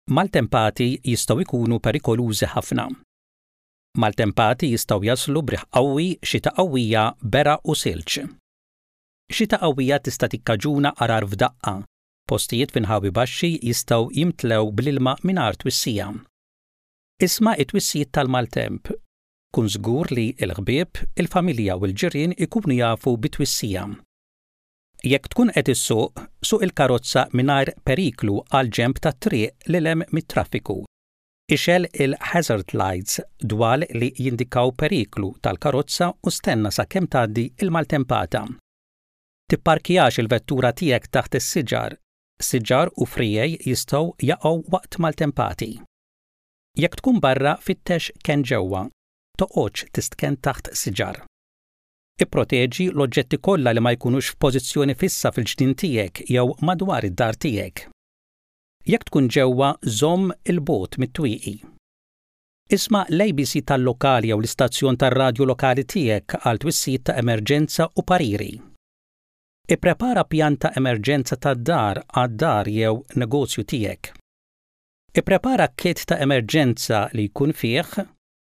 Maltempati jistgħu jkunu perikolużi ħafna. Maltempati jistgħu jaslu b'riħ qawwi, xita qawwija, beraq u silġ. Xita qawwija tista' tikkaġuna għarar f'daqqa. Postijiet f'inħawi baxxi jistgħu jimtlew bl-ilma mingħajr twissija. Isma' t-twissijiet tal-maltemp. Kun żgur li l-ħbieb, il-familja u l-ġirien ikunu jafu bit-twissija. Jekk tkun qed issuq, suq il-karozza mingħajr periklu għall-ġenb tat-triq lil hemm mit-traffiku. Ixgħel il-hazard lights, dwal li jindikaw periklu, tal-karozza u stenna sakemm tgħaddi l-maltempata. Tipparkjax il-vettura tiegħek taħt is-siġar. Siġar u friegħi jistgħu jaqgħu waqt maltempati. Jekk tkun barra fittex kenn ġewwa. Toqgħodx tistkenn taħt siġar. Ipproteġi l-oġġetti kollha li ma jkunux f'pożizzjoni fissa fil-ġnien tiegħek jew madwar id-dar tiegħek. Jekk tkun ġewwa, żomm 'il bogħod mit-twieqi. Isma' l-ABC tal-lokal jew l-istazzjon tar-radju lokali tiegħek għal twissijiet ta' emerġenza u pariri. Ipprepara pjan ta' emerġenza tad-dar għad-dar jew negozju tiegħek. Ipprepara kit ta' emerġenza li jkun fih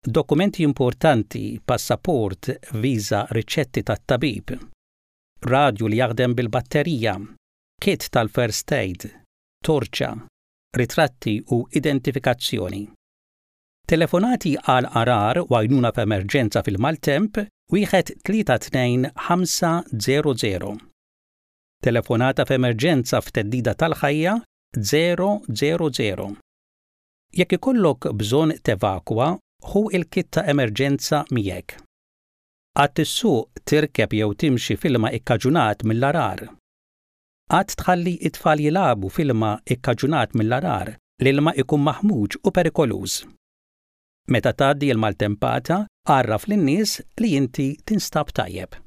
Dokumenti importanti, passaport, viża, riċetti tat-tabib. Radju li jaħdem bil-batterija, kit tal-first aid, torċa, ritratti u identifikazzjoni. Telefonati għal għarar u għajnuna f'emerġenza fil-maltemp, 1 3 2 5 0 0. Telefonata f'emerġenza f'theddida tal-ħajja, 0 0 0. Jekk ikollok bżonn tevakwa, ħu l-kit ta' emerġenza miegħek. Qatt issuq, tirkeb jew timxi f'ilma ikkaġunat mill-għarar. Qatt tħalli t-tfal jilagħbu f'ilma ikkaġunat mill-għarar, l-ilma ikun maħmuġ u perikoluż. Meta tgħaddi l-maltempata, għarraf lin-nies li inti tinstab tajjeb.